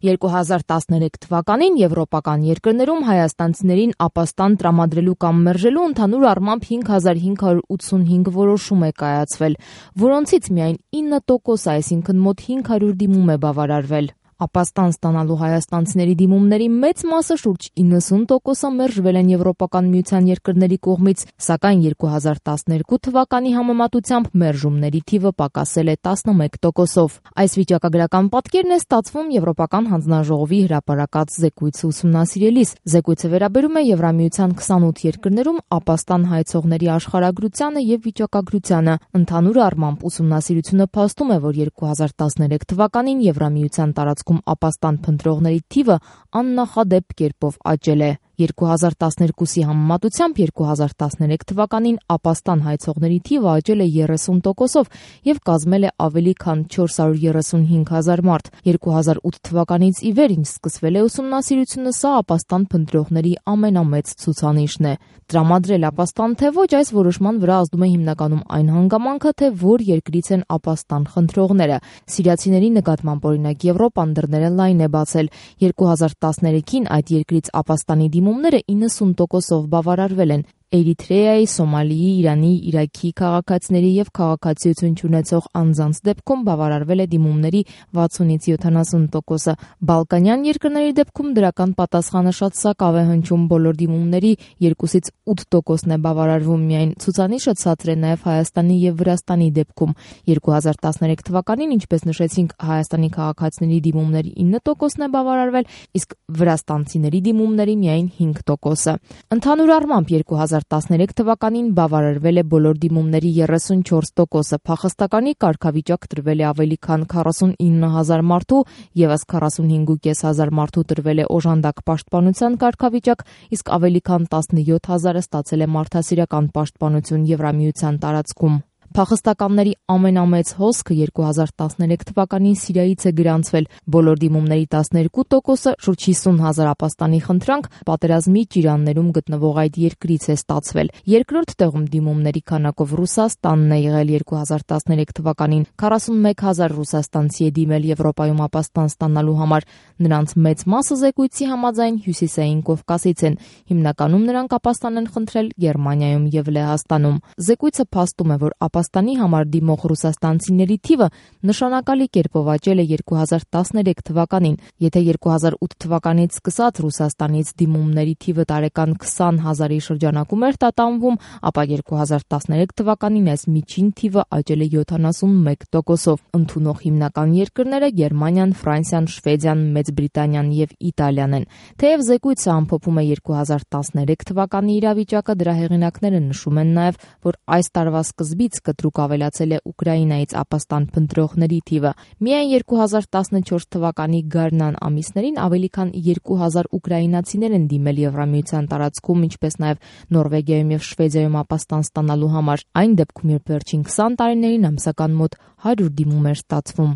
2013 թվականին եվրոպական երկրներում հայաստանցիներին ապաստան տրամադրելու կամ մերժելու ընդհանուր առմամբ 5585 որոշում է կայացվել, որոնցից միայն 9%, այսինքն մոտ 500 դիմում է բավարարվել։ Ապաստան ստանալու հայաստանցիների դիմումների մեծ մասը, շուրջ 90%-ը մերժվել են Եվրոպական միության երկրների կողմից, սակայն 2012 թվականի համեմատությամբ մերժումների թիվը պակասել է 11%-ով։ Այս վիճակագրական պատկերն է ստացվում Եվրոպական հանձնաժողովի հրապարակած զեկույցը ուսումնասիրելիս։ Զեկույցը վերաբերում է Եվրամիության 28 երկրներում ապաստան հայցողների աշխարհագրությանը եւ վիճակագրությանը։ Ընդհանուր առմամբ ուսումնասիրությունը փաստում է, որ 2013 թվականին Եվրամիության տարածքում ապաստան փնտրողների թիվը աննախադեպ կերպով աճել է։ 2012-ի համեմատությամբ 2013 թվականին ապաստան հայցողների թիվը աճել է 30%-ով եւ կազմել է ավելի քան 435,000 մարդ։ 2008 թվականից ի վեր, ինչ սկսվել է ուսումնասիրությունը, սա ապաստան փնտրողների ամենամեծ ցուցանիշն է։ Տրամադրել ապաստան թե ոչ, այս որոշման վրա ազդում է հիմնականում այն հանգամանքը, թե որ երկրից են ապաստան խնդրողները։ Սիրիացիների նկատմամբ օրինակ Եվրոպան դռները լայն է բացել։ 2013-ին այդ երկրից ապաստանի դիմումները 90%-ով բավարարվել են։ Էրիթրեայի, Սոմալիի, Իրանի, Իրաքի քաղաքացիների եւ քաղաքացիություն չունեցող անձանց դեպքում բավարարվել է դիմումների 60-ից 70%-ը։ Բալկանյան երկրների դեպքում դրական պատասխանը շատ սակավ է հնչում, բոլոր դիմումների 2-ից 8%-ն է բավարարվում միայն։ Ցուցանիշը ցածր է նաեւ Հայաստանի եւ Վրաստանի դեպքում։ 2013 թվականին, ինչպես նշեցինք, Հայաստանի քաղաքացիների դիմումների 9%-ն է բավարարվել, իսկ վրաստանցիների դիմումների միայն 5%-ը։ Ընդհանուր առմամբ 2013 թվականին բավարարվել է բոլոր դիմումների 34%-ը, փախստականի կարգավիճակ տրվել է ավելի քան 49,000 մարդու, ևս 45,500 մարդու տրվել է օժանդակ պաշտպանության կարգավիճակ, իսկ ավելի քան 17,000-ը ստացել է մարդասիրական պաշտպանություն Եվրամիության տարածքում։ Փախստականների ամենամեծ հոսքը 2013 թվականին Սիրիայից է գրանցվել։ Բոլոր դիմումների 12%-ը, շուրջ 50,000 ապաստանի խնդրանք, պատերազմի ճիրաններում գտնվող այդ երկրից է ստացվել։ Երկրորդ տեղում դիմումների քանակով Ռուսաստանն է եղել 2013 թվականին։ 41,000 ռուսաստանցի է դիմել Եվրոպայում ապաստան ստանալու համար։ Նրանց մեծ մասը զեկույցի համաձայն Հյուսիսային Կովկասից են։ Հիմնականում նրանք ապաստան են խնդրել Գերմանիայում եւ Լեհաստանում։ Զեկույցը փաստում է, որ ապաստանի համար դիմող ռուսաստանցիների թիվը նշանակալի կերպով աճել է 2013 թվականին։ Եթե 2008 թվականից սկսած Ռուսաստանից դիմումների թիվը տարեկան 20,000-ի շրջանակում էր տատանվում, ապա 2013 թվականին այս միջին թիվը աճել է 71%-ով։ Ընդունող հիմնական երկրները Գերմանիան, Ֆրանսիան, Շվեդիան, Մեծ Բրիտանիան եւ Իտալիան են։ Թեև զեկույցը ամփոփում է 2013 թվականի իրավիճակը, դրա հեղինակները նշում են նաեւ, որ այս տարվա սկզբից կտրուկ ավելացել է Ուկրաինայից ապաստան փնտրողների թիվը։ Միայն 2014 թվականի գարնան ամիսներին ավելի քան 2000 ուկրաինացիներ են դիմել Եվրամիության տարածքում, ինչպես նաև Նորվեգիայում եւ Շվեդիայում ապաստան ստանալու համար։ Այն դեպքում, երբ վերջին 20 տարիներին ամսական մոտ 100 դիմում էր ստացվում։